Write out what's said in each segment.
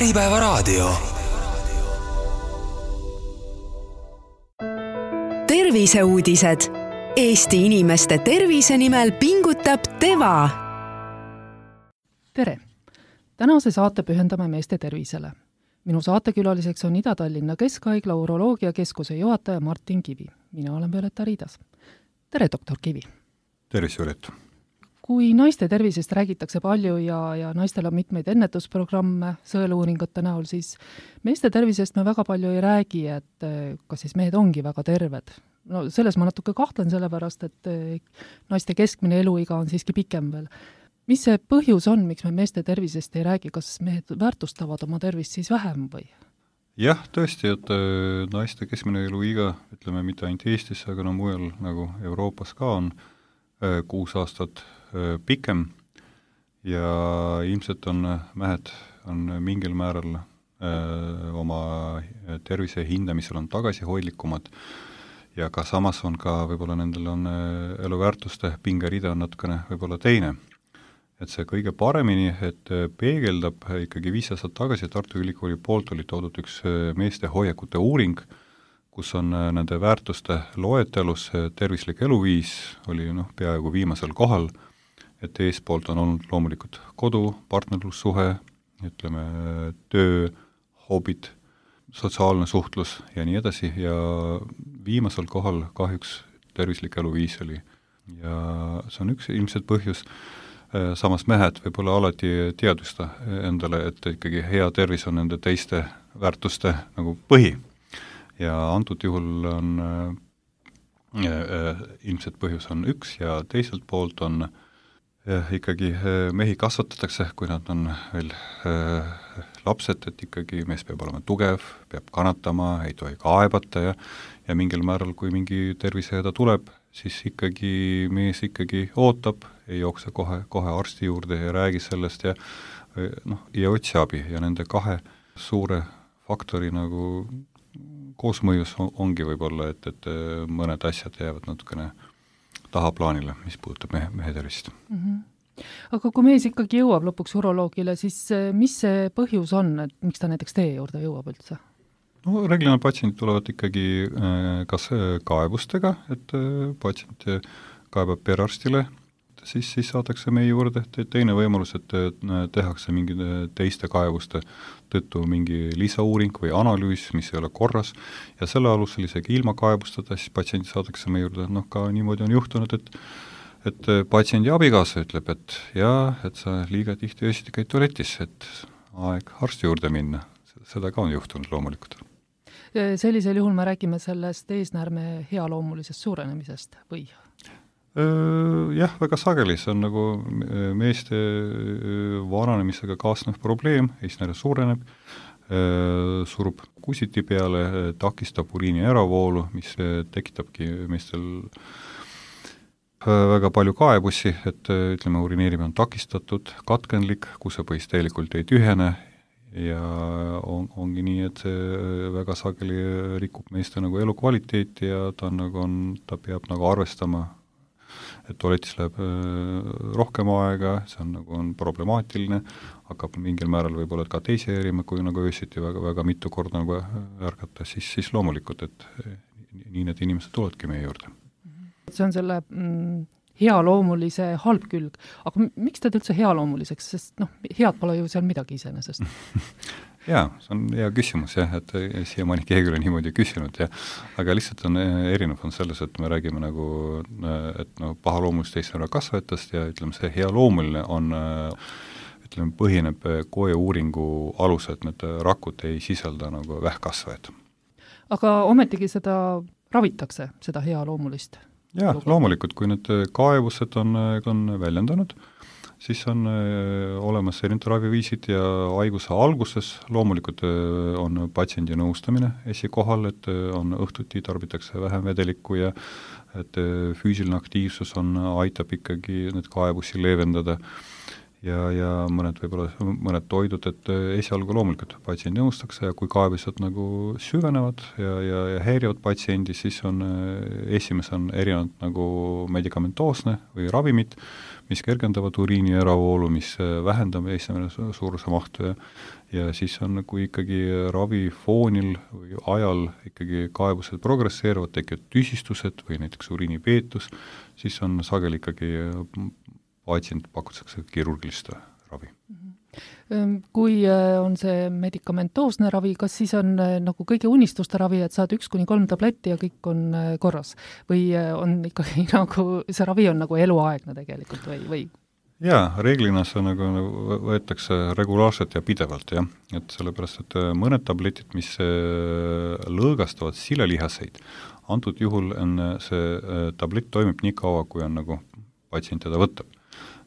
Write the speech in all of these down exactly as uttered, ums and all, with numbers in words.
Äripäevaraadio. Terviseuudised. Eesti inimeste tervise nimel pingutab Teva. Tere! Tänase saate pühendame meeste tervisele. Minu saatekülaliseks on Ida-Tallinna Keskhaigla uroloogiakeskuse juhataja Martin Kivi. Mina olen Violeta Riidas. Tere, doktor Kivi! Tervis, Violeta! Kui naiste tervisest räägitakse palju ja, ja naistel on mitmeid ennetusprogramme sõeluuringute näol, siis meeste tervisest me väga palju ei räägi, et kas siis mehed ongi väga terved. No selles ma natuke kahtlen sellepärast, et naiste keskmine eluiga on siiski pikem veel. Mis see põhjus on, miks me meeste tervisest ei räägi? Kas mehed väärtustavad oma tervist siis vähem või? Jah, tõesti, et naiste keskmine eluiga, ütleme mitte ainult Eestis, aga no mujal nagu Euroopas ka on kuus aastat pikem ja ilmselt on mehed on mingil määral öö, oma tervise hindamisel on tagasihoidlikumad ja ka samas on ka võib-olla nendel on eluväärtuste pingerida on natukene võib-olla teine. Et see kõige paremini, et peegeldab ikkagi viis aastat tagasi Tartu Ülikooli poolt oli toodud üks meeste hoiakute uuring, kus on nende väärtuste loetelus tervislik eluviis oli noh, peaaegu viimasel kohal, et eespoolt on olnud loomulikult kodu, partnerlussuhe, ütleme töö, hobid, sotsiaalne suhtlus ja nii edasi ja viimasel kohal kahjuks tervislik eluviis oli. Ja see on üks ilmselt põhjus, samas mehed võib-olla alati teadusta endale, et ikkagi hea tervis on nende teiste väärtuste nagu põhi. Ja antud juhul on äh, äh, ilmselt põhjus on üks ja teiselt poolt on äh, ikkagi äh, mehi kasvatatakse, kui nad on veel äh, lapsed, et ikkagi mees peab olema tugev, peab kannatama, ei tohi kaebata ja, ja mingil määral, kui mingi tervisehäda tuleb, siis ikkagi mees ikkagi ootab, ei jookse kohe, kohe arsti juurde ja räägi sellest ja, noh, ja otsi abi ja nende kahe suure faktori nagu koosmõjus ongi võib-olla, et, et mõned asjad jäävad natukene tahaplaanile, mis puudutab mehe, mehe tervist. Mm-hmm. Aga kui mees ikkagi jõuab lõpuks uroloogile, siis mis see põhjus on, et miks ta näiteks teie juurde jõuab üldse? No reeglina patsiendid tulevad ikkagi kas kaebustega, et patsient kaebab perearstile, siis, siis saadakse meie juurde teine võimalus, et tehakse mingi teiste kaebuste tõttu mingi lisauuring või analüüs, mis ei ole korras ja selle alusel isegi ilma kaebustada, siis patsiendi saadakse meie juurde, noh ka niimoodi on juhtunud, et et patsiendi abikaasa ütleb, et jaa, et sa liiga tihti öösiti käid tualetis, et aeg arsti juurde minna. Seda ka on juhtunud loomulikult. Sellisel juhul me räägime sellest eesnäärme healoomulisest suurenemisest või? Jah, väga sageli, see on nagu meeste vananemisega kaasnev probleem, eesnäärme suureneb, surub kusiti peale, takistab uriini äravoolu, mis tekitabki meestel väga palju kaebusi, et ütleme, urineerimine on takistatud, katkenlik, kusepõhis tegelikult ei tühene ja on, ongi nii, et see väga sageli rikub meeste nagu elukvaliteeti ja ta, nagu on, ta peab nagu arvestama, et tualetis läheb rohkem aega, see on, nagu on problemaatiline, hakkab mingil määral võib-olla ka teise erima, kui nagu öösiti väga, väga mitu korda nagu ärgata, siis, siis loomulikult, et nii need inimesed tulevadki meie juurde. See on selle mm, healoomulise halb külg. Aga miks teed üldse healoomuliseks? Sest noh, head pole ju seal midagi iseenesest. Jaa, see on hea küsimus, jah, et siiamaani keegi ole niimoodi küsinud, ja, aga lihtsalt on erinev on selles, et me räägime nagu, et no, pahaloomulist teisnära kasvatajast ja ütleme, see healoomuline on, ütleme, põhineb koe uuringu alusel, et need rakud ei sisalda nagu vähkkasvajad. Aga ometigi seda ravitakse, seda healoomulist? Jaa, loomulikult, kui need kaebused on, on väljendanud, siis on olemas erinevad raviviisid ja haiguse alguses loomulikult on patsiendi nõustamine esikohal, et on õhtuti tarbitakse vähem vedelikku ja et füüsiline aktiivsus on, aitab ikkagi need kaebusi leevendada ja, ja mõned võib-olla mõned toidud, et esialgu loomulikult patsient nõustakse ja kui kaebused nagu süvenevad ja, ja, ja häirivad patsiendi, siis on esimese on erinevad nagu medikamentoosne või ravimid, mis kergendavad uriini äravoolu, mis vähendab eesnämine suuruse mahtu ja, ja siis on nagu ikkagi ravifoonil või ajal ikkagi kaebused progresseeruvad, tekivad tüsistused või näiteks uriinipeetus, siis on sageli ikkagi patsient pakutakse kirurgilist ravi. Kui on see medikamentoosne ravi, kas siis on nagu kõigi unistuste ravi, et saad üks kuni kolm tabletti ja kõik on korras? Või on ikkagi nagu, see ravi on nagu eluaegne tegelikult või, või? Jaa, reeglina see nagu, nagu võetakse regulaarselt ja pidevalt, jah. Et sellepärast, et mõned tabletid, mis lõõgastavad silelihaseid, antud juhul on see tablett toimib nii kaua, kui on nagu patsient teda võtab,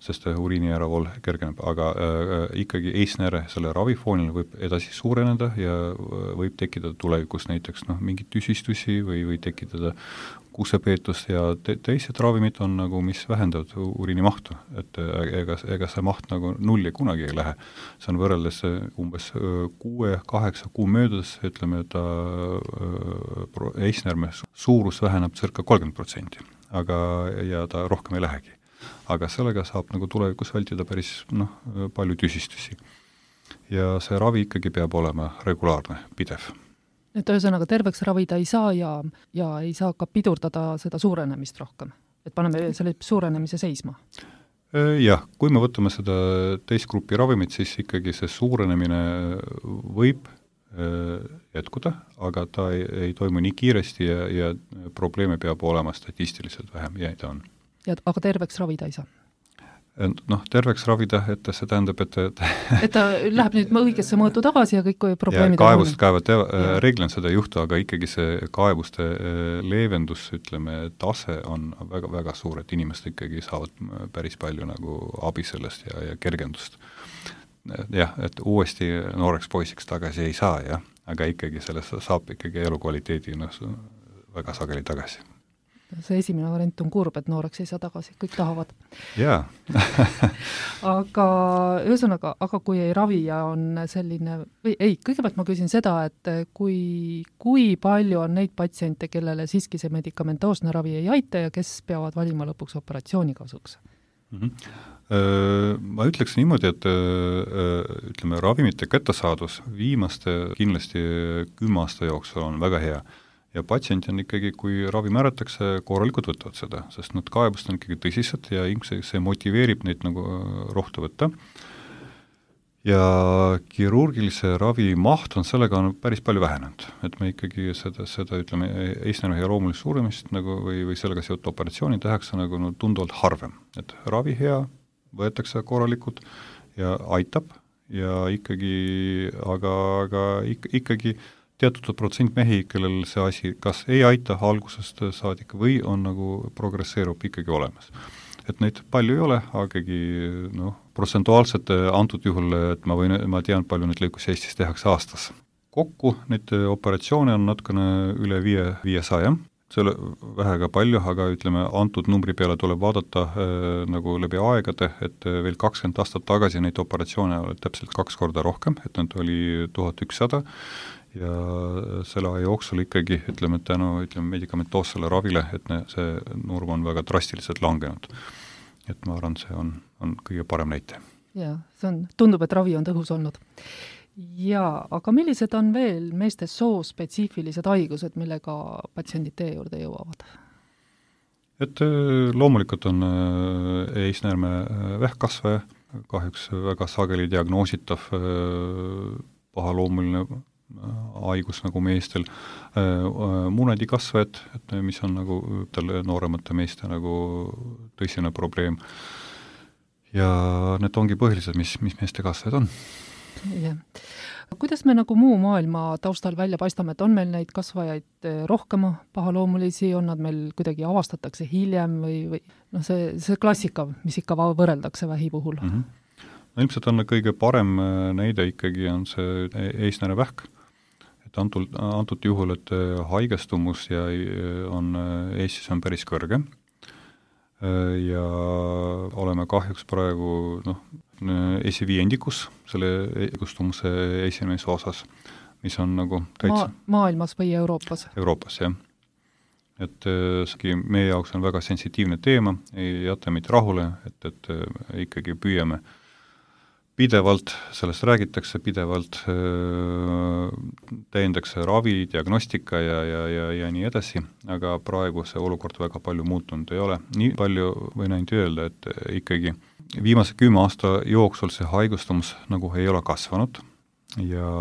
sest uriini äravool kergeneb, aga äh, ikkagi eesnääre selle ravifoonil võib edasi suureneda ja võib tekkida tulevikus näiteks noh, mingid tüsistusi või, või tekitada kuusepeetust ja te, teised ravimid on nagu, mis vähendavad uriini mahtu, et ega, ega see maht nagu nulli kunagi ei lähe. See on võrreldes umbes kuue, kaheksa kuu möödudes, ütleme, et eesnärme suurus väheneb circa kolmkümmend protsenti, aga ja ta rohkem ei lähegi. Aga sellega saab nagu tulevikus vältida päris noh, palju tüsistusi. Ja see ravi ikkagi peab olema regulaarne, pidev. Et ühesõnaga terveks ravida ei saa ja, ja ei saa ka pidurdada seda suurenemist rohkem. Et paneme selle suurenemise seisma. Jah, kui me võtame seda teist gruppi ravimit, siis ikkagi see suurenemine võib jätkuda, aga ta ei, ei toimu nii kiiresti ja, ja probleeme peab olema statistiliselt vähem ja ta on. Ja, aga terveks ravida ei saa? Noh, terveks ravida, et see tähendab, et et, et ta läheb nüüd õigesse mõõtu tagasi ja kõik probleemid ja kaebust kaevad, reeglina seda ei juhtu, aga ikkagi see kaebuste leevendus, ütleme, tase on väga, väga suur, et inimesed ikkagi saavad päris palju nagu abi sellest ja, ja kergendust. Jah, et uuesti nooreks poisiks tagasi ei saa, jah, aga ikkagi sellest saab ikkagi elukvaliteedi no, väga sageli tagasi. See esimene variant on kurb, et nooreks ei saa tagasi, kõik tahavad. Jaa. aga ühesõnaga, aga kui ei ravi ja on selline, või ei, kõigepealt ma küsin seda, et kui, kui palju on neid patsiente, kellele siiski see medikamentoosne ravi ei aita ja kes peavad valima lõpuks operatsiooni kasuks? Mm-hmm. Ma ütleks niimoodi, et ütleme, ravimite kättesaadus viimaste kindlasti kümme aasta jooksul on väga hea. Ja patsient on ikkagi, kui ravi määratakse, korralikult võtavad seda, sest nad kaebust on ikkagi tõsised ja ilmselt see motiveerib neid nagu rohtu võtta. Ja kirurgilise ravi maht on sellega on päris palju vähenenud, et me ikkagi seda, seda ütleme, eesnäärme ja loomulist suuremist nagu, või, või sellega seotud operatsiooni tehakse nagu no, tunduvalt harvem, et ravi hea, võetakse korralikult ja aitab ja ikkagi, aga, aga ik, ikkagi teatud protsent mehi, kellel see asi kas ei aita algusest saadik või on nagu progresseerub ikkagi olemas. Et neid palju ei ole, agagi noh, protsentuaalselt antud juhul, et ma, võin, ma tean, palju neid lõikusi Eestis tehakse aastas. Kokku neid operatsioone on natukene üle viie, viiesaja. See ei ole vähega palju, aga ütleme, antud numbri peale tuleb vaadata äh, nagu läbi aegade, et veel kakskümmend aastat tagasi neid operatsioone oli täpselt kaks korda rohkem, et nad oli tuhat ükssada ja selle aja jooksul ikkagi, ütleme, tänu ütleme, medikamentoossele ravile, et ne, see nurm on väga drastiliselt langenud. Et ma arvan, see on, on kõige parem näite. Jaa, see on, tundub, et ravi on tõhus olnud. Jaa, aga millised on veel meeste soospetsiifilised haigused, millega patsiendid teie juurde jõuavad? Et loomulikult on eesnäärme vähkkasvaja, kahjuks väga sageli diagnoositav pahaloomuline haigus nagu meestel, munadikasvajad, et mis on nagu nooremate meeste nagu tõsine probleem. Ja need ongi põhilised, mis, mis meeste kasvajad on. Yeah. Kuidas me nagu muu maailma taustal välja paistame, et on meil neid kasvajaid rohkem pahaloomulisi, on nad meil kuidagi avastatakse hiljem või, või noh, see, see klassika, mis ikka võrreldakse vähi puhul? Mm-hmm. No ilmselt on kõige parem näide ikkagi on see eesnäärne vähk. Et antud, antud juhul, et haigestumus ja on, Eestis on päris kõrge ja oleme kahjuks praegu noh, esiviiendikus selle haigestumuse esimeses osas, mis on nagu täitsa Ma, maailmas või Euroopas? Euroopas, jah. et see meie jaoks on väga sensitiivne teema, ei jäta meid rahule, et, et ikkagi püüame pidevalt, sellest räägitakse pidevalt, täiendakse ravi, diagnostika ja, ja, ja, ja nii edasi, aga praegu see olukord väga palju muutunud ei ole. Nii palju võin ainult öelda, et ikkagi viimase kümme aasta jooksul see haigustumus nagu ei ole kasvanud ja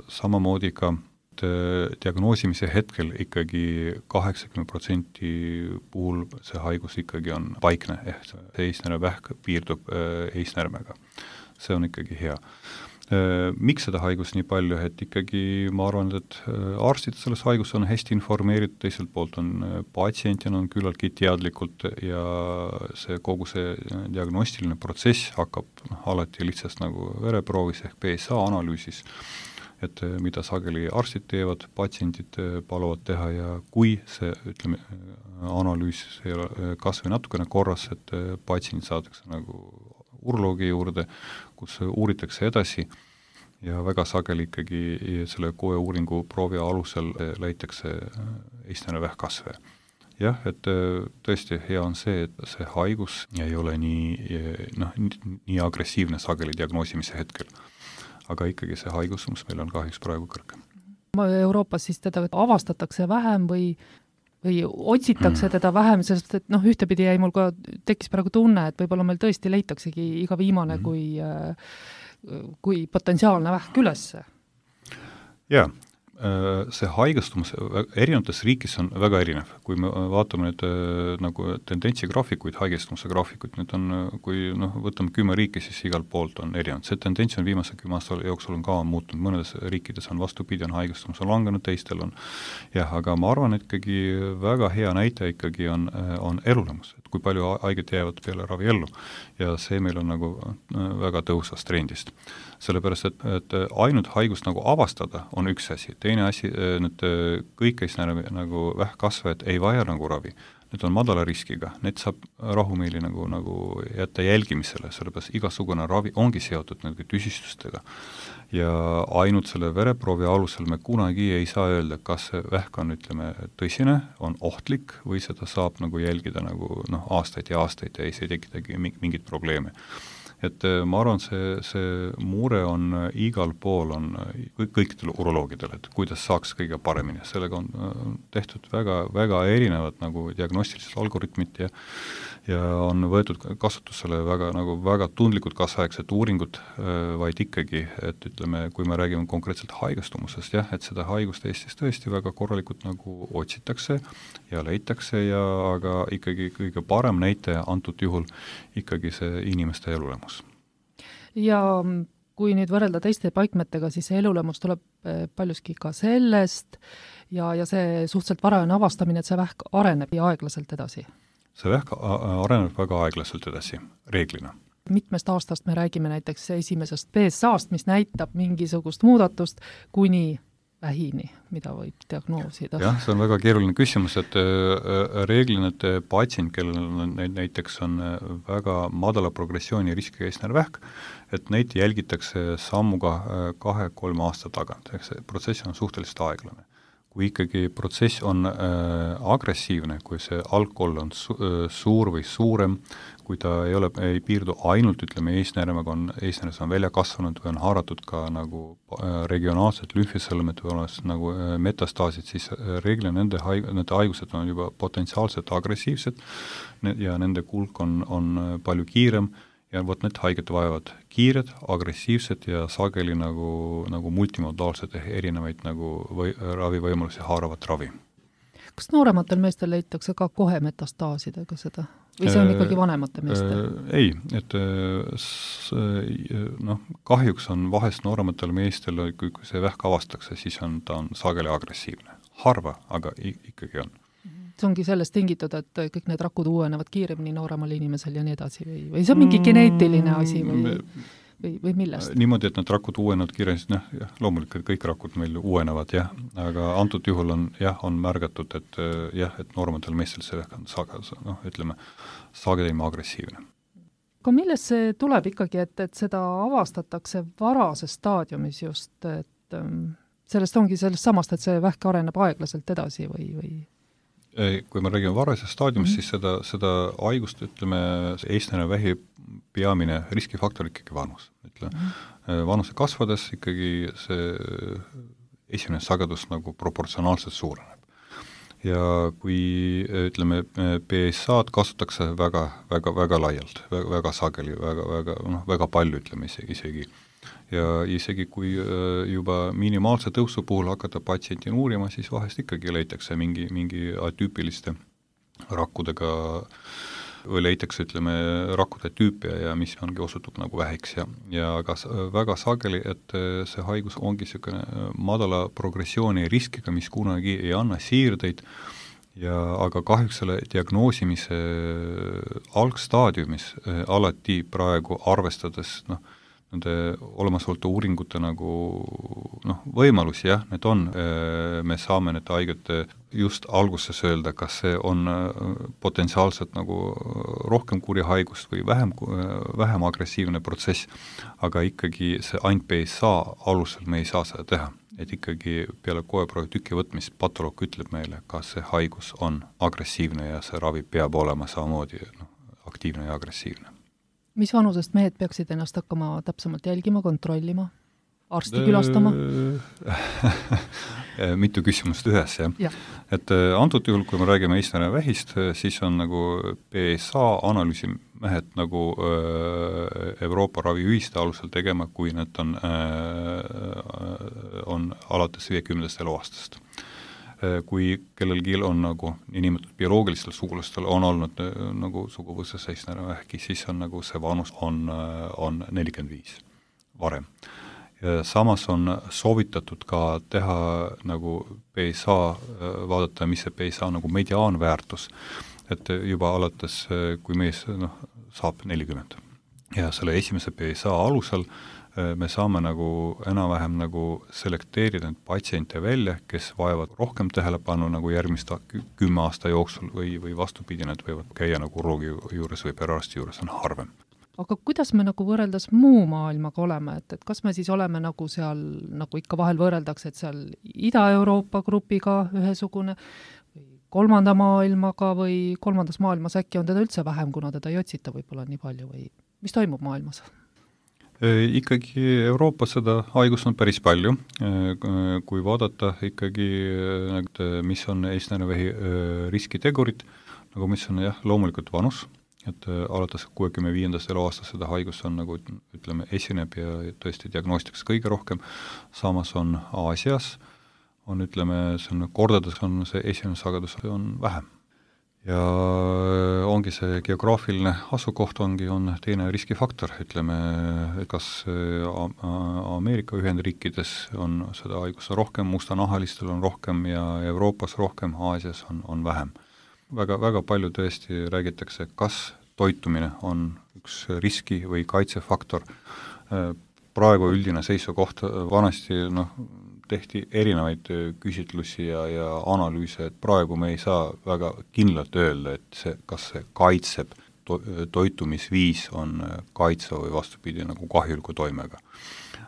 samamoodi ka diagnoosimise hetkel ikkagi kaheksakümmend protsenti puhul see haigus ikkagi on paikne, ehk see eisnärvevähk piirdub eisnärmega. See on ikkagi hea. Miks seda haigus nii palju, et ikkagi ma arvan, et arstid selles haigus on hästi informeeritud, teiselt poolt on patsientina on küllaltki teadlikult ja see kogu see diagnostiline protsess hakkab noh, alati lihtsalt nagu vereproovis ehk P S A analüüsis, et mida sageli arstid teevad, patsiendid paluvad teha ja kui see, ütleme, analüüs ei ole kas või natukene korras, et patsient saadakse nagu uroloogi juurde, kus uuritakse edasi ja väga sageli ikkagi selle koe uuringu proovi alusel leitakse eisnärvevähkkasve. Jah, et tõesti hea on see, et see haigus ei ole nii, noh, nii agressiivne sageli diagnoosimise hetkel. Aga ikkagi see haigus, mis meil on kahjuks praegu kõrge. Euroopas siis teda avastatakse vähem või või otsitakse teda vähem, sest et noh, ühtepidi jäi mul ka, tekkis praegu tunne, et võib-olla meil tõesti leitaksegi iga viimane mm. kui, kui potentsiaalne vähk ülesse. Jaa, see haigestumus erinevates riikis on väga erinev. Kui me vaatame nüüd nagu tendentsi graafikuid, haigestumuse graafikuid, need on, kui noh, võtame kümme riiki, siis igal poolt on erinev. See tendents on viimase kümme aasta jooksul on ka muutunud. Mõnedes riikides on vastupidi, on haigestumus on langenud, teistel on jah, aga ma arvan, et ikkagi väga hea näite ikkagi on, on elulemus, et kui palju haiget jäävad peale ravi ellu ja see meil on nagu väga tõusvast trendist. Sellepärast, et, et ainult haigust nagu avastada on üks asi. Teine asi, need kõik eisnärve nagu vähkkasvajad ei vaja nagu ravi. Need on madala riskiga, need saab rahumeeli nagu, nagu jätta jälgimisele, sellepärast igasugune ravi ongi seotud nagu tüsistustega. Ja ainult selle vereproovi alusel me kunagi ei saa öelda, kas see vähk on, ütleme, tõsine, on ohtlik või seda saab nagu jälgida nagu noh, aastaid ja aastaid ja ei see tekitagi mingit probleemi. Et ma arvan, see, see mure on igal pool on kõikidel uroloogidel, et kuidas saaks kõige paremini. Sellega on tehtud väga, väga erinevad nagu diagnostilised algoritmid ja, ja on võetud kasutusele väga, nagu väga tundlikud kaasaegsed uuringud, vaid ikkagi, et ütleme, kui me räägime konkreetselt haigestumusest, jah, et seda haigust Eestis tõesti väga korralikult nagu otsitakse ja leitakse ja aga ikkagi kõige parem näitaja antud juhul ikkagi see inimeste elulemus. Ja kui nüüd võrrelda teiste paikmetega, siis see elulemus tuleb paljuski ka sellest ja, ja see suhteliselt varajane avastamine, et see vähk areneb ja aeglaselt edasi. See vähk areneb väga aeglaselt edasi, reeglina. Mitmest aastast me räägime näiteks esimesest P S A-st, mis näitab mingisugust muudatust kuni vähini, mida võib diagnoosida. Jah, see on väga keeruline küsimus, et reeglina, et patsient, kellel näiteks on väga madala progressiooni riskiga eisnärvevähk, et neid jälgitakse sammuga kahe-kolme aasta tagant, ehk see protsess on suhteliselt aeglane. Kui ikkagi protsess on äh, agressiivne, kui see alkohol on su äh, suur või suurem, kui ta ei ole, ei piirdu ainult, ütleme, eisnärmega on, eisnärmes on välja kasvanud või on haaratud ka nagu äh, regionaalsed lümfisõlmed või oleks nagu äh, metastaasid, siis äh, reeglina nende, haig nende haigused on juba potentsiaalselt agressiivsed ja nende kulk on, on palju kiirem ja vot need haiget vajavad kiired, agressiivsed ja sageli nagu, nagu multimodaalsed erinevaid nagu või, ravivõimalusi haaravat ravi. Kas noorematel meestel leitakse ka kohe metastaasidega seda? Või see on ikkagi vanemate meestel? Ei, et noh, kahjuks on vahest noorematel meestel, kui see vähk avastakse, siis on ta on sageli agressiivne. Harva, aga ikkagi on. See ongi sellest tingitud, et kõik need rakud uuenevad kiiremini nooremal inimesel ja nii edasi või, või see on mingi geneetiline asi või, või, või millest? Niimoodi, et need rakud uuenevad kiiremini, noh, jah, loomulikult kõik rakud meil uuenevad, jah, aga antud juhul on, jah, on märgatud, et jah, et noorematel meestel see on saga, noh, ütleme, sagedima agressiivne. Aga millest see tuleb ikkagi, et, et seda avastatakse varases staadiumis just, et sellest ongi sellest samast, et see vähk areneb aeglaselt edasi või, või? Kui me räägime varasest staadiumist, Mhm. siis seda, seda haigust, ütleme, eestlasena vähi peamine riskifaktor ikkagi vanus. Ütleme, Mhm. vanuse kasvades ikkagi see esimene sagedus nagu proportsionaalselt suureneb. Ja kui, ütleme, P S A-d kasutatakse väga, väga, väga laialt, väga, väga sageli, väga, väga, noh, väga palju, ütleme isegi, isegi. Ja isegi kui juba minimaalse tõusu puhul hakata patsienti uurima, siis vahest ikkagi leitakse mingi, mingi atüüpiliste rakkudega või leitakse, ütleme, rakkude tüüpia ja mis ongi osutub nagu vähiks ja, ja aga väga sageli, et see haigus ongi niisugune madala progressiooni riskiga, mis kunagi ei anna siirdeid ja aga kahjuks selle diagnoosimise algstaadiumis alati praegu arvestades, noh, nende olemasolevate uuringute nagu noh, võimalusi, jah, need on, me saame need haiged just alguses öelda, kas see on potentsiaalselt nagu rohkem kuri haigust või vähem, vähem agressiivne protsess, aga ikkagi see ainult P S A alusel me ei saa seda teha. Et ikkagi peale koeproovi tüki võtmist patoloog ütleb meile, kas see haigus on agressiivne ja see ravi peab olema samamoodi noh, aktiivne ja agressiivne. Mis vanusest mehed peaksid ennast hakkama täpsemalt jälgima, kontrollima, arsti külastama? Mitu küsimust ühes, jah. Ja. Et antud juhul, kui me räägime eestlane vähist, siis on nagu P S A analüüsi mehed nagu Euroopa raviühiste alusel tegema, kui need on, on alates viiekümnendast eluaastast. Kui kellelgi on nagu inimetud bioloogilistel sugulastel on olnud nagu suguvõses eestlane vähki, siis on nagu see vanus on, on nelikümmend viis varem. Ja samas on soovitatud ka teha nagu P S A, vaadata, mis see P S A nagu mediaanväärtus, et juba alates, kui mees noh, saab nelikümmend. Ja selle esimese P S A alusel me saame nagu enam-vähem nagu selekteerida need patsiente välja, kes vajavad rohkem tähelepanu nagu järgmist kümme aasta jooksul või, või vastupidi, need võivad käia nagu uroloogi juures või perearsti juures on harvem. Aga kuidas me nagu võrreldes muu maailmaga oleme, et, et kas me siis oleme nagu seal, nagu ikka vahel võrreldakse, et seal Ida-Euroopa grupiga ühesugune või kolmanda maailmaga või kolmandas maailmas äkki on teda üldse vähem, kuna teda ei otsita võib-olla nii palju või mis toimub maailmas? Ikkagi Euroopas seda haigust on päris palju, kui vaadata ikkagi, mis on eestlane vähi riskitegurid, nagu mis on jah, loomulikult vanus, et alates kuuekümne viiendast eluaastast seda haigus on nagu, ütleme, esineb ja tõesti diagnostikas kõige rohkem, samas on Aasias, on, ütleme, see on kordades on see esimene sagedus on vähem. Ja ongi see geograafiline asukoht ongi, on teine riskifaktor, ütleme, kas Ameerika Ühendriikides on seda haigust rohkem, mustanahalistel on rohkem ja Euroopas rohkem, Aasias on, on vähem. Väga, väga palju tõesti räägitakse, kas toitumine on üks riski või kaitsefaktor. Praegu üldine seisukoht vanasti, noh, tehti erinevaid küsitlusi ja, ja analüüse, et praegu me ei saa väga kindlalt öelda, et see, kas see kaitseb to, toitumisviis on kaitse või vastupidi nagu kahjuliku toimega.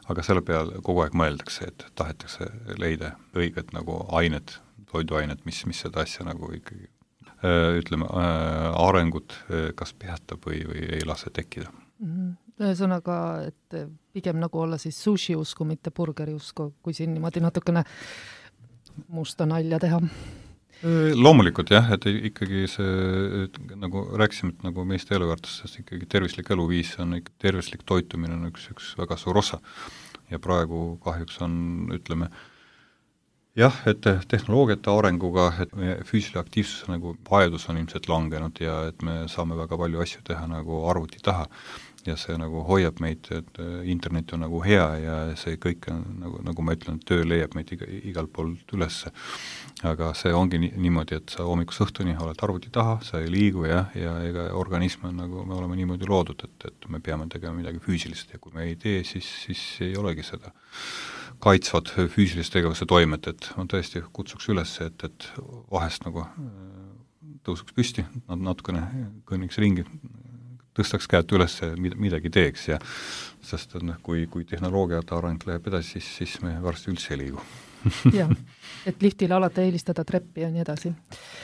Aga selle peale kogu aeg mõeldakse, et tahetakse leida õiget nagu ained, toiduainet, mis, mis seda asja nagu ikkagi ütleme, arengut kas peatab või, või ei lase tekkida. Ühesõnaga, et pigem nagu olla siis sushi usku, mitte burgeri usku, kui siin niimoodi natukene musta nalja teha. Loomulikult jah, et ikkagi see, nagu rääkisime, et nagu meeste eluväärtustest ikkagi tervislik eluviis on ikka tervislik toitumine on üks, üks väga suur osa. Ja praegu kahjuks on, ütleme, jah, et tehnoloogiate arenguga, et meie füüsilise aktiivsuse nagu vajadus on ilmselt langenud ja et me saame väga palju asju teha nagu arvuti taha ja see nagu hoiab meid, et internet on nagu hea ja see kõik on, nagu, nagu ma ütlen, töö leiab meid iga, igal poolt ülesse. Aga see ongi nii, niimoodi, et sa hommikus õhtuni oled arvuti taha, sa ei liigu ja, ja ega organism on nagu, me oleme niimoodi loodud, et, et me peame tegema midagi füüsilist ja kui me ei tee, siis, siis ei olegi seda kaitsvad füüsilise tegevuse toimet, et ma tõesti kutsuks üles, et, et vahest nagu tõusuks püsti, natukene kõnniks ringi, tõstaks käed üles ja midagi teeks ja sest noh, kui, kui tehnoloogiate areng läheb edasi, siis, siis me varsti üldse ei liigu. jah, et liftile alati eelistada treppi ja nii edasi.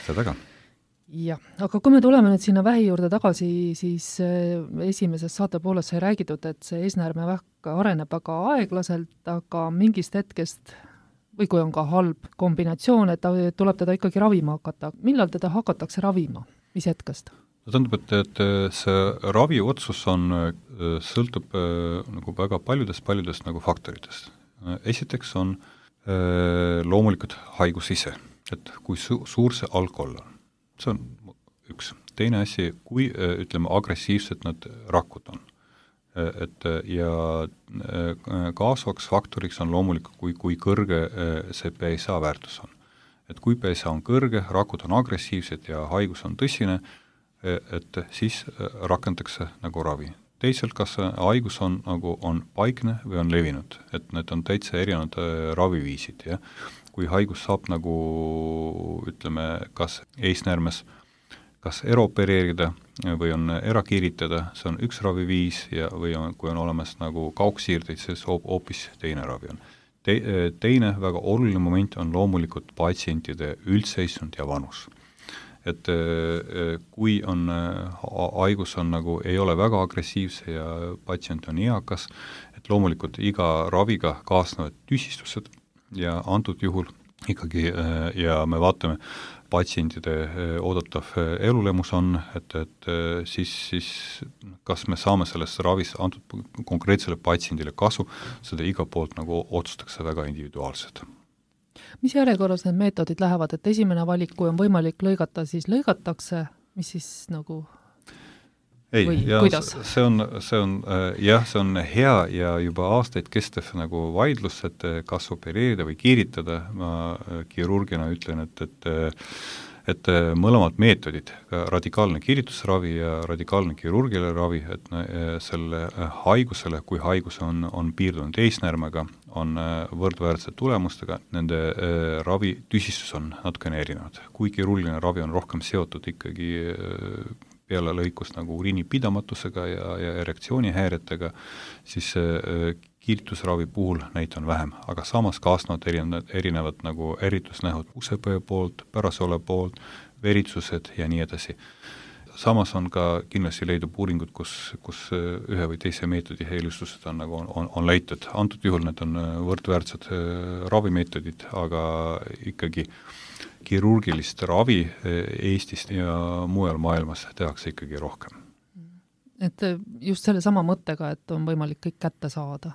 Seda ka. Jah, aga kui me tuleme nüüd sinna vähi juurde tagasi, siis esimeses saate pooles sai räägitud, et see eesnäärmevähk areneb väga aeglaselt, aga mingist hetkest, või kui on ka halb kombinatsioon, et ta tuleb teda ikkagi ravima hakata. Millal teda hakatakse ravima? Mis hetkest? Tähendab, et, et see raviotsus on, sõltub nagu väga paljudest, paljudest nagu faktoritest. Esiteks on loomulikult haigus ise, et kui su- suur see alkohol on. See on üks. Teine asi, kui, ütleme, agressiivsed nad rakud on. Et, ja kaasvaks faktoriks on loomulikult, kui, kui kõrge see P S A väärtus on. Et kui P S A on kõrge, rakud on agressiivsed ja haigus on tõsine, et siis rakendatakse nagu ravi. Teisalt, kas haigus on, nagu on paikne või on levinud, et need on täitsa erinevad raviviisid, ja kui haigus saab nagu, ütleme, kas eesnäärmes, kas eropereerida või on erakiiritada, see on üks raviviis, ja või on, kui on olemas nagu kaugsiirdeid, siis hoopis teine ravi on. Te, teine väga oluline moment on loomulikult patsientide üldseisund ja vanus. Et kui on, haigus on nagu, ei ole väga agressiivse ja patsient on eakas, et loomulikult iga raviga kaasnevad tüsistused ja antud juhul ikkagi, ja me vaatame, patsientide oodatav elulemus on, et, et siis, siis kas me saame sellest ravis antud konkreetsele patsiendile kasu, seda iga poolt nagu otsustakse väga individuaalselt. Mis järjekorras need meetodid lähevad, et esimene valik, kui on võimalik lõigata, siis lõigatakse, mis siis nagu ei, või ja kuidas? See on, see on, jah, see on hea ja juba aastaid kestev nagu vaidlus, et kas opereerida või kiiritada. Ma kirurgina ütlen, et, et, et mõlemad meetodid, radikaalne kiiritusravi ja radikaalne kirurgiline ravi, et selle haigusele, kui haigus on, on piirdunud eesnäärmega, on võrdväärsed tulemustega, nende ravi tüsistus on natukene erinevad. Kui kirurgiline ravi on rohkem seotud ikkagi peale lõikus nagu uriinipidamatusega ja, ja erektsioonihäiretega, siis kiiritusravi puhul neid on vähem, aga samas kaasnevad erinevad, erinevad nagu eritusnähud usepõe poolt, pärasole poolt, veritsused ja nii edasi. Samas on ka kindlasti leidub uuringud, kus, kus ühe või teise meetodi eelistused on, nagu on, on, on leitud. Antud juhul need on võrdväärsed ravimeetodid, aga ikkagi kirurgilist ravi Eestist ja mujal maailmas tehakse ikkagi rohkem. Et just selle sama mõttega, et on võimalik kõik kätte saada?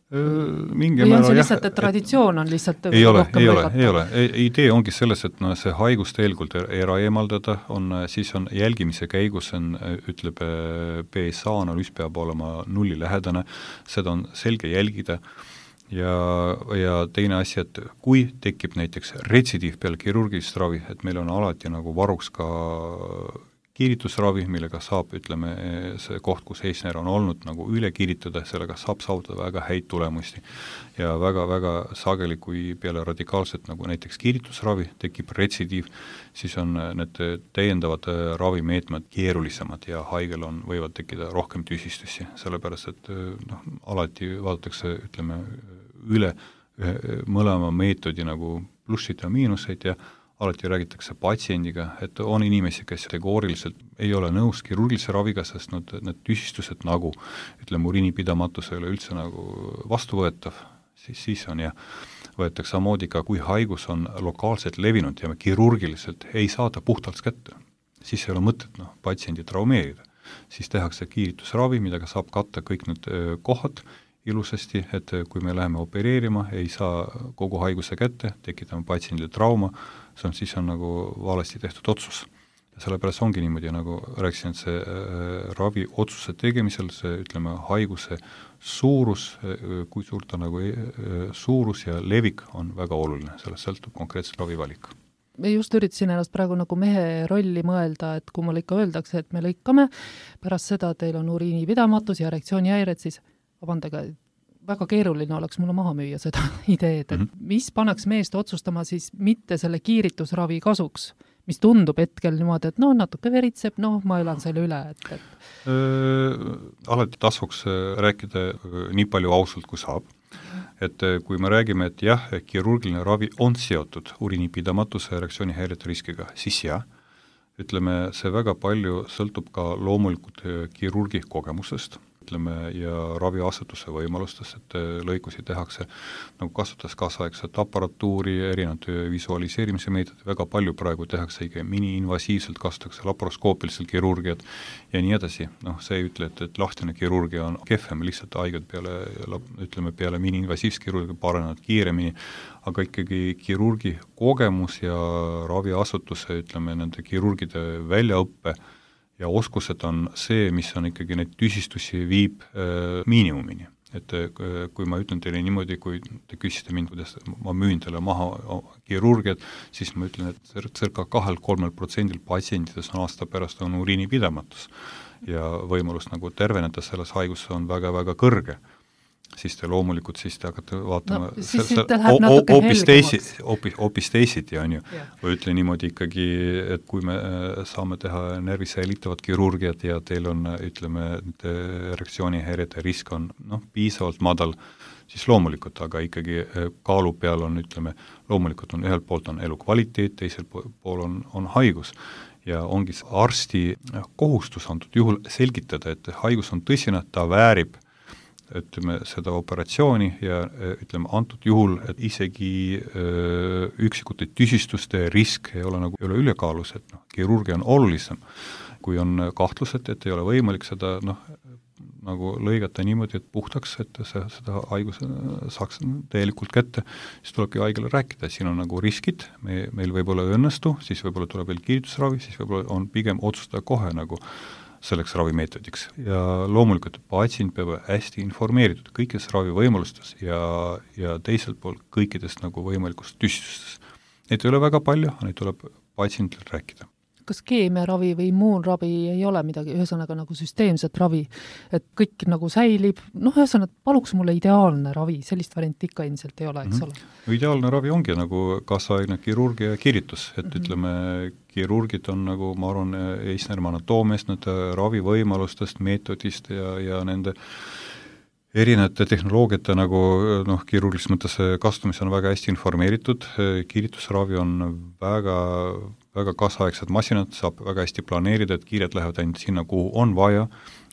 Mingi või on see jah, lihtsalt, et traditsioon on lihtsalt ei ole, rohkem ei ole, lõigata? ei ole. Idee ongi selles, et no, see haigus tegelikult ära eemaldada, on, siis on jälgimise käigus, on, ütleb P S A analüüs peab olema nulli lähedane, seda on selge jälgida ja, ja teine asi, et kui tekib näiteks retsidiiv peale kirurgilist ravi, et meil on alati nagu varuks ka kiiritusravi, millega saab, ütleme, see koht, kus eesnäär on olnud, nagu üle kiiritada, sellega saab saavutada väga häid tulemusi. Ja väga-väga sageli, kui peale radikaalset, nagu näiteks kiiritusravi, tekib retsidiiv, siis on need täiendavad ravimeetmed keerulisemad ja haigel on, võivad tekkida rohkem tüsistusi, sellepärast, et noh, alati vaadatakse, ütleme, üle mõlema meetodi nagu plussid ja miinuseid ja alati räägitakse patsiendiga, et on inimesi, kes kategooriliselt ei ole nõus kirurgilise raviga, sest need, need tüsistused nagu, ütleme, uriinipidamatus ei ole üldse nagu vastuvõetav, siis, siis on ja võetakse samamoodi ka, kui haigus on lokaalselt levinud ja me kirurgiliselt ei saada puhtalt kätte, siis ei ole mõtet no, patsiendi traumeerida. Siis tehakse kiiritusravi, millega saab katta kõik need kohad ilusasti, et kui me läheme opereerima, ei saa kogu haiguse kätte, tekitame patsiendile trauma, see on, siis on nagu valesti tehtud otsus. Ja sellepärast ongi niimoodi, nagu rääkisin, et see äh, ravi otsuse tegemisel, see, ütleme, haiguse suurus, kui suur ta nagu äh, suurus ja levik on väga oluline, sellest sõltub konkreetselt ravivalik. Me just üritasin ennast praegu nagu mehe rolli mõelda, et kui mulle ikka öeldakse, et me lõikame, pärast seda teil on uriinipidamatus ja erektsioonihäired, siis vabandage, väga keeruline oleks mulle maha müüa seda ideed, et mm-hmm. mis paneks meest otsustama siis mitte selle kiiritusravi kasuks, mis tundub hetkel niimoodi, et no natuke veritseb, noh, ma elan selle üle. Et, et... Äh, alati tasuks rääkida nii palju ausalt, kui saab. et kui me räägime, et jah, kirurgiline ravi on seotud uriinipidamatuse reaktsioonihäirete riskiga, siis jah, ütleme, see väga palju sõltub ka loomulikult kirurgi kogemusest, ütleme, ja raviasutuse võimalustest, et lõikusi tehakse, nagu kasutades kaasaegset aparatuuri, erinevad visualiseerimise meetodid, väga palju praegu tehakse ikka mini-invasiivselt, kasutatakse laparoskoopiliselt kirurgiat ja nii edasi. Noh, see ei ütle, et, et lahtine kirurgia on kehvem, lihtsalt haiged peale, ütleme, peale mini-invasiivs kirurgia paranevad kiiremini, aga ikkagi kirurgi kogemus ja raviasutuse, ütleme, nende kirurgide väljaõppe ja oskused on see, mis on ikkagi neid tüsistusi viib äh, miinimumini. Et äh, kui ma ütlen teile niimoodi, kui te küsisite mind, kuidas ma müün teile maha kirurgiat, siis ma ütlen, et circa kahel-kolmel protsendil patsientides on aasta pärast on uriinipidamatus ja võimalus nagu terveneda selles haiguses on väga-väga kõrge. Siis te loomulikult siis te hakkate vaatama no, siis see, see hoopis teisi, hoopis, hoopis teisiti, on ju. Yeah. Või ütle niimoodi ikkagi, et kui me saame teha närvi säilitavat kirurgiat ja teil on, ütleme, reaktsioonihäirete risk on noh, piisavalt madal, siis loomulikult, aga ikkagi kaalu peal on, ütleme, loomulikult on ühelt poolt on elukvaliteet, teisel pool on, on haigus. Ja ongi arsti kohustus antud juhul selgitada, et haigus on tõsine, ta väärib ütleme, seda operatsiooni ja ütleme, antud juhul, et isegi öö, üksikute tüsistuste risk ei ole nagu ei ole ülekaalus, et noh, kirurgia on olulisem. Kui on kahtlused, et ei ole võimalik seda noh, nagu lõigata niimoodi, et puhtaks, et see, seda haiguse saaks täielikult kätte, siis tulebki haigele rääkida, siin on nagu riskid, me, meil võib-olla õnnestu, siis võib-olla tuleb veel kiiritusravi, siis võib-olla on pigem otsustada kohe nagu selleks ravimeetodiks. Ja loomulikult patsient peab hästi informeeritud kõikides ravivõimalustes ja, ja teiselt poolt kõikidest nagu võimalikust tüstustes. Neid ei ole väga palju, neid tuleb patsientil rääkida. Kas keemiaravi või immuunravi ei ole midagi, ühesõnaga nagu süsteemset ravi, et kõik nagu säilib, noh, ühesõnaga, paluks mulle ideaalne ravi, sellist varianti ikka ilmselt ei ole, eks mm-hmm. ole? Ideaalne ravi ongi nagu kaasaegne kirurgia ja kiiritus, et mm-hmm. ütleme, kirurgid on nagu, ma arvan, eesnärma anatoomiast, nende ravivõimalustest, meetodist ja, ja nende erinevate tehnoloogiate nagu noh, kirurgilises mõttes kasutamise on väga hästi informeeritud, kiiritusravi on väga väga kaasaegsed masinad, saab väga hästi planeerida, et kiired lähevad ainult sinna, kuhu on vaja,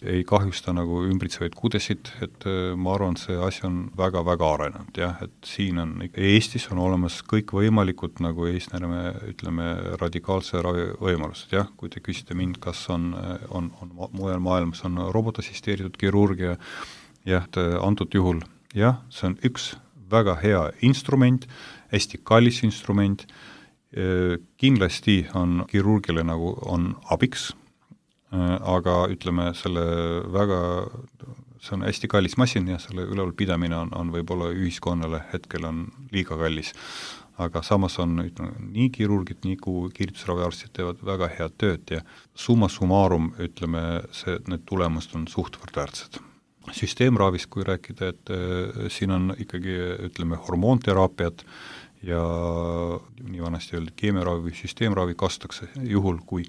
ei kahjusta nagu ümbritsevaid kudesid, et ma arvan, see asi on väga-väga arenenud, jah, et siin on, Eestis on olemas kõik võimalikud nagu eesnärme, ütleme, radikaalse ravi võimalused, jah, kui te küsite mind, kas on, on, on mujal maailmas on robotassisteeritud kirurgia, jah, antud juhul, jah, see on üks väga hea instrument, hästi kallis instrument, kindlasti on kirurgile nagu on abiks, aga ütleme, selle väga, see on hästi kallis masin ja selle üleval pidamine on, on võib-olla ühiskonnale hetkel on liiga kallis. Aga samas on ütleme, nii kirurgid, nii kui kiiritusraviarstid teevad väga head tööd ja summa summarum, ütleme, see, need tulemused on suhtvõrdväärsed. Süsteemravist, kui rääkida, et äh, siin on ikkagi, ütleme, hormoonteraapiat ja nii vanasti öeldi keemiaravi või süsteemravi kasutatakse juhul, kui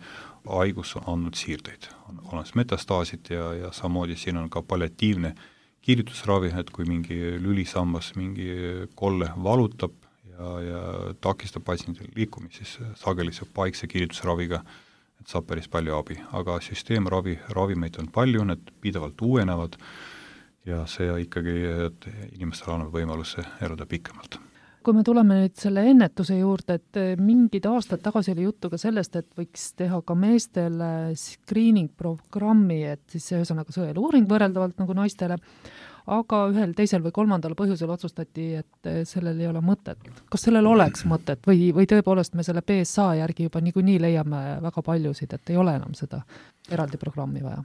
haigus on andnud siirdeid. On olemas metastaasid ja, ja samamoodi siin on ka palliatiivne kiiritusravi, et kui mingi lülisambas mingi kolle valutab ja, ja takistab patsiendil liikumist, siis sageli see paikse kiiritusraviga, et saab päris palju abi. Aga süsteemravi, ravimeid on palju, need pidevalt uuenevad ja see ikkagi, et inimestel on võimaluse elada pikemalt. Kui me tuleme nüüd selle ennetuse juurde, et mingid aastad tagasi oli juttu ka sellest, et võiks teha ka meestele screening-programmi, et siis see ühesõnaga sõeluuring võrreldavalt nagu naistele, aga ühel teisel või kolmandal põhjusel otsustati, et sellel ei ole mõtet. Kas sellel oleks mõtet või, või tõepoolest me selle B S A järgi juba niikuinii leiame väga paljusid, et ei ole enam seda eraldi programmi vaja?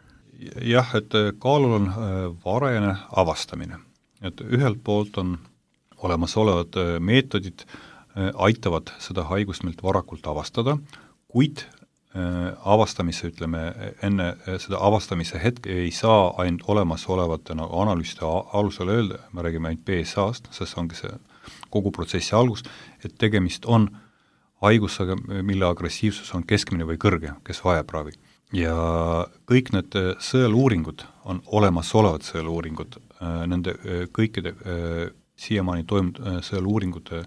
Jah, et kaalul on varajane avastamine. Et ühelt poolt on olemasolevad meetodid aitavad seda haigust meilt varakult avastada, kuid avastamise, ütleme, enne seda avastamise hetke ei saa ainult olemasolevate nagu analüüside alusel öelda, me räägime ainult B S A-st, sest ongi see kogu protsessi algus, et tegemist on haigusega, mille agressiivsus on keskmine või kõrge, kes vajab ravi. Ja kõik need sõeluuringud on olemasolevad sõeluuringud, nende kõikide siiamaani toimunud sõeluuringute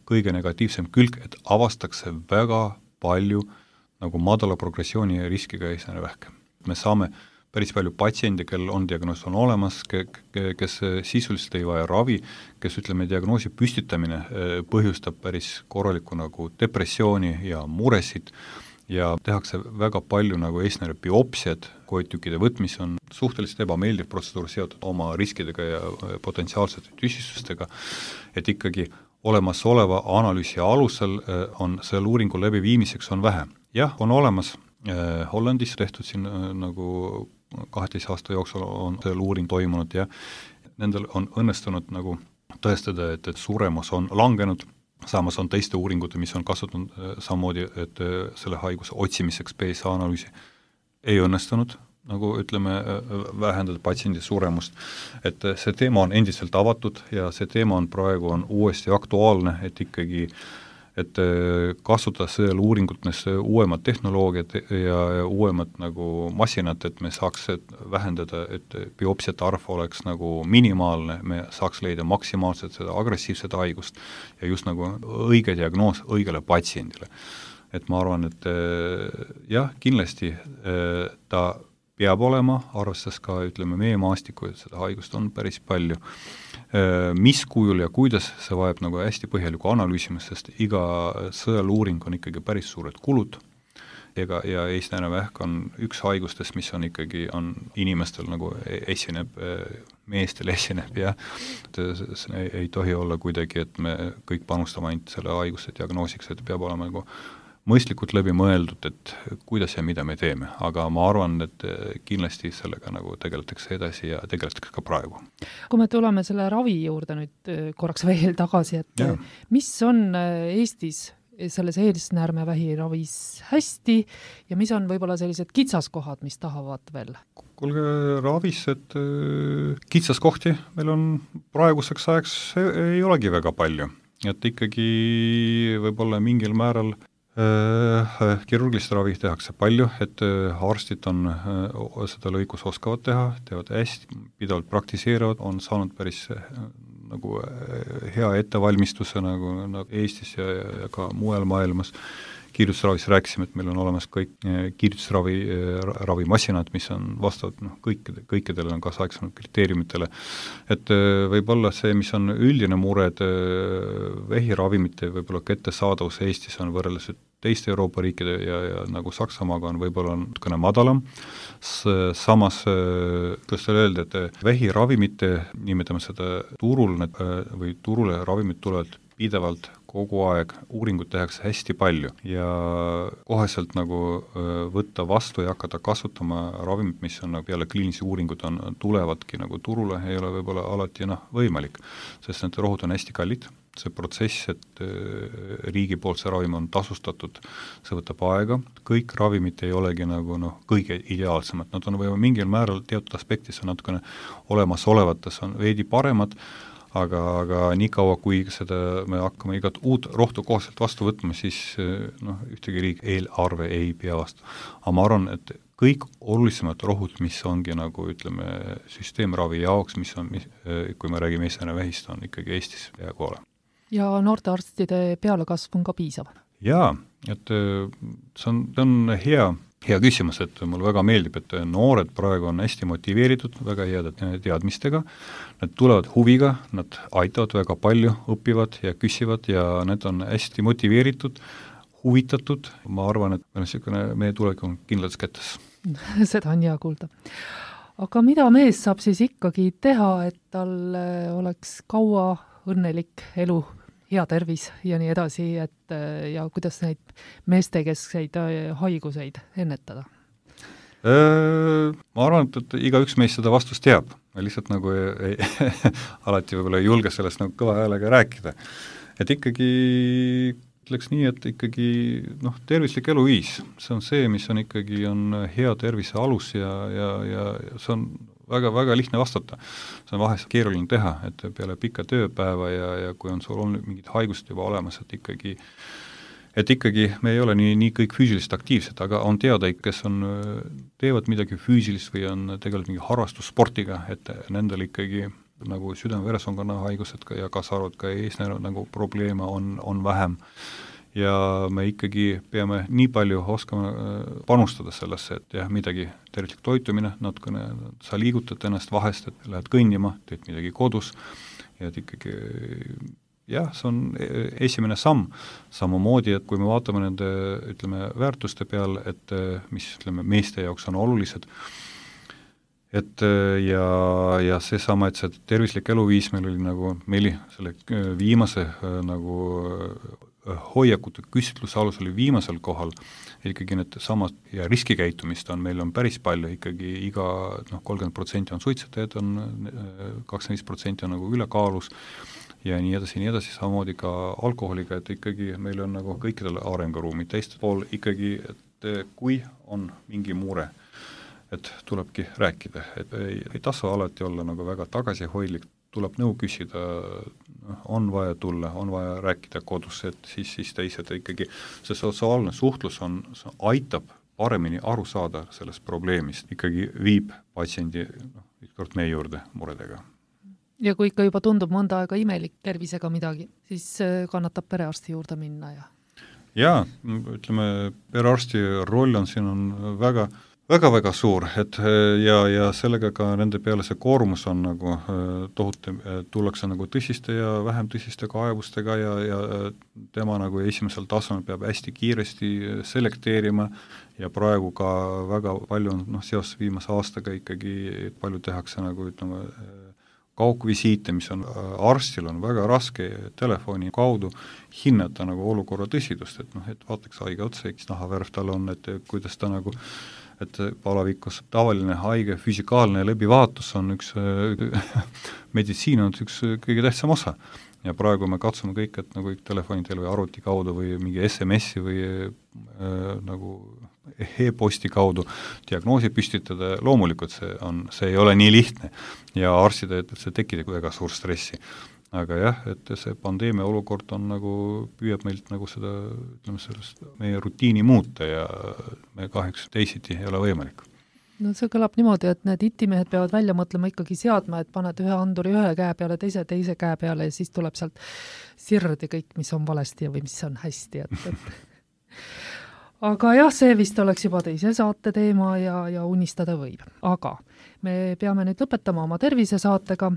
kõige negatiivsem külg, et avastakse väga palju nagu madala progressiooni ja riskiga eesnäärevähke. Me saame päris palju patsiendi, kel on diagnoos on olemas, ke, ke, kes sisuliselt ei vaja ravi, kes ütleme, diagnoosi püstitamine põhjustab päris korraliku nagu depressiooni ja muresid ja tehakse väga palju nagu eesnääre biopsiad, koetükkide võtmis on suhteliselt ebameeldiv protseduur seotud oma riskidega ja potentsiaalsete tüsistustega, et ikkagi olemasoleva analüüsi alusel on selle uuringu läbiviimiseks on vähe. Jah, on olemas eh, Hollandis tehtud siin eh, nagu kaheteist aasta jooksul on selle uuring toimunud ja nendel on õnnestunud nagu tõestada, et, et suremus on langenud, samas on teiste uuringute, mis on kasutanud eh, samamoodi, et eh, selle haiguse otsimiseks P S A analüüsi ei õnnestunud, nagu ütleme, vähendada patsiendi suremust. Et see teema on endiselt avatud ja see teema on praegu on uuesti aktuaalne, et ikkagi et kasutada sellel uuringutes uuemad tehnoloogiad ja, ja uuemad nagu masinad, et me saaks vähendada, et biopsiate arv oleks nagu minimaalne, me saaks leida maksimaalselt seda agressiivset haigust ja just nagu õige diagnoos õigele patsiendile. Et ma arvan, et jah, kindlasti ta peab olema, arvestades ka, ütleme, meie maastiku, et seda haigust on päris palju. Mis kujul ja kuidas, see vajab nagu hästi põhjaliku analüüsimist, sest iga sõeluuring on ikkagi päris suured kulud ega, ja eesnäärevähk on üks haigustest, mis on ikkagi, on inimestel nagu esineb, meestel esineb ja see ei, ei tohi olla kuidagi, et me kõik panustame ainult selle haiguste diagnoosiks, et peab olema nagu mõistlikult läbi mõeldud, et kuidas ja mida me teeme, aga ma arvan, et kindlasti sellega nagu tegeletakse edasi ja tegeletakse ka praegu. Kui me tuleme selle ravi juurde nüüd korraks veel tagasi, et ja. Mis on Eestis selles eesnäärmevähi ravis hästi ja mis on võib-olla sellised kitsaskohad, mis tahavad veel? Kuulge, ravis, et kitsaskohti meil on praeguseks ajaks ei olegi väga palju, et ikkagi võib-olla mingil määral kirurgilist ravi tehakse palju, et arstid on seda lõikus oskavad teha, teevad hästi, pidavalt praktiseerivad, on saanud päris nagu hea ettevalmistuse nagu, nagu Eestis ja, ja ka mujal maailmas. Kiirtusravis rääkisime, et meil on olemas kõik kiirtusravi ravimasinad, mis on vastavad noh, kõik, kõikidele on kaasaegsenud kriteeriumitele. Et võib olla see, mis on üldine mure, et vähiravimite võib-olla kättesaadavus Eestis on võrreldes teiste Euroopa riikide ja, ja nagu Saksamaaga on võib-olla natukene madalam. Samas, kuidas teile öelda, et vähiravimite, nimetame seda turul või turule ravimid tulevad pidevalt kogu aeg, uuringut tehakse hästi palju ja koheselt nagu võtta vastu ja hakata kasutama ravimit, mis on nagu peale kliinilisi uuringud on, tulevadki nagu turule, ei ole võib-olla alati noh, võimalik, sest need rohud on hästi kallid. See protsess, et riigi poolt see ravim on tasustatud, see võtab aega, kõik ravimid ei olegi nagu noh, kõige ideaalsemad, nad on võib-olla mingil määral teatud aspektis on natukene olemasolevates on veidi paremad, aga, aga nii kaua, kui seda me hakkame igat uut rohtu kohaselt vastu võtma, siis noh, ühtegi riik eelarve ei pea vastu. Aga ma arvan, et kõik olulisemad rohud, mis ongi nagu ütleme süsteemravi jaoks, mis on, kui me räägime eesnäärevähist, on ikkagi Eestis peaaegu ole. Ja noorte arstide pealekasv on ka piisav? Jaa, et see on, see on hea, hea küsimus, et mulle väga meeldib, et noored praegu on hästi motiveeritud, väga head teadmistega, nad tulevad huviga, nad aitavad väga palju, õpivad ja küsivad ja need on hästi motiveeritud, huvitatud, ma arvan, et meil on selline, meie tulek on kindlates kätes. Seda on hea kuulda. Aga mida mees saab siis ikkagi teha, et tal oleks kaua õnnelik elu, hea tervis ja nii edasi, et ja kuidas neid meestekeskseid haiguseid ennetada? Ma arvan, et, et igaüks meist seda vastust teab. Lihtsalt nagu ei, alati võib-olla ei julge sellest nagu kõva häälega rääkida. Et ikkagi ütleks nii, et ikkagi noh, tervislik eluviis, see on see, mis on ikkagi on hea tervise alus ja, ja, ja see on väga, väga lihtne vastata. See on vahest keeruline teha, et peale pikka tööpäeva ja, ja kui on sul olnud mingid haigust juba olemas, et ikkagi, et ikkagi me ei ole nii, nii kõik füüsilist aktiivsed, aga on teada, kes on, teevad midagi füüsilist või on tegelikult mingi harrastussportiga, et nendel ikkagi nagu südame-veresoonkonna haigused ka ja kaasa arvatud ka eesnäärud nagu probleeme on, on vähem. Ja me ikkagi peame nii palju oskama panustada sellesse, et jah, midagi tervislik toitumine, natukene sa liigutad ennast vahest, et lähed kõnnima, teed midagi kodus, ja et ikkagi jah, see on esimene samm. Samamoodi, et kui me vaatame nende, ütleme, väärtuste peal, et mis, ütleme, meeste jaoks on olulised, et ja, ja see sama, et see tervislik eluviis meil oli nagu, meil selle viimase nagu hoiakute küsitluse alus oli viimasel kohal, ikkagi need samad ja riskikäitumist on, meil on päris palju, ikkagi iga noh, kolmkümmend protsenti on suitsetajad, on kakskümmend viis protsenti on nagu ülekaalus ja nii edasi, nii edasi, samamoodi ka alkoholiga, et ikkagi meil on nagu kõikidel arenguruumid, teist pool ikkagi, et kui on mingi mure, et tulebki rääkida, et ei, ei tasu alati olla nagu väga tagasihoidlik, tuleb nõu küsida, on vaja tulla, on vaja rääkida kodus, et siis, siis teised ikkagi, see sotsiaalne suhtlus on, aitab paremini aru saada sellest probleemist, ikkagi viib patsiendi noh, ükskord meie juurde muredega. Ja kui ikka juba tundub mõnda aega imelik tervisega midagi, siis kannatab perearsti juurde minna ja? Jaa, ütleme, perearsti roll on siin on väga väga-väga suur, et ja, ja sellega ka nende peale see koormus on nagu tohutu, tullakse nagu tõsiste ja vähem tõsiste kaebustega ja, ja tema nagu esimesel tasemel peab hästi kiiresti selekteerima ja praegu ka väga palju on, noh, seoses viimase aastaga ikkagi palju tehakse nagu, ütleme, kaugvisiite, mis on arstil on väga raske telefoni kaudu hinnata nagu olukorra tõsidust, et noh, et vaataks haige otsa, eks nahavärv tal on, et kuidas ta nagu et palavikus tavaline haige füsikaalne läbivaatus on üks meditsiin on üks kõige tähtsam osa. Ja praegu me katsume kõik, et nagu telefoni teel või arvuti kaudu või mingi S M S-i või äh, nagu e-posti kaudu diagnoosi püstitada, loomulikult see on, see ei ole nii lihtne ja arstide, et see tekitab väga suur stressi. Aga jah, et see pandeemia olukord on nagu, püüab meilt nagu seda, ütleme, sellest meie rutiini muuta ja me kahjuks teisiti ei ole võimalik. No see kõlab niimoodi, et need itimehed peavad välja mõtlema ikkagi seadma, et paned ühe anduri ühe käe peale, teise teise käe peale ja siis tuleb sealt sirdi kõik, mis on valesti või mis on hästi. Et, et. Aga jah, see vist oleks juba teise saate teema ja, ja unistada võib. Aga me peame nüüd lõpetama oma tervisesaatega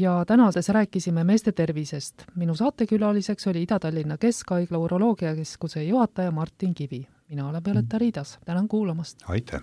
ja tänases rääkisime meeste tervisest. Minu saatekülaliseks oli Ida-Tallinna Keskhaigla uroloogiakeskuse juhataja Martin Kivi. Mina olen Violeta Riidas. Tänan kuulamast. Aitäh!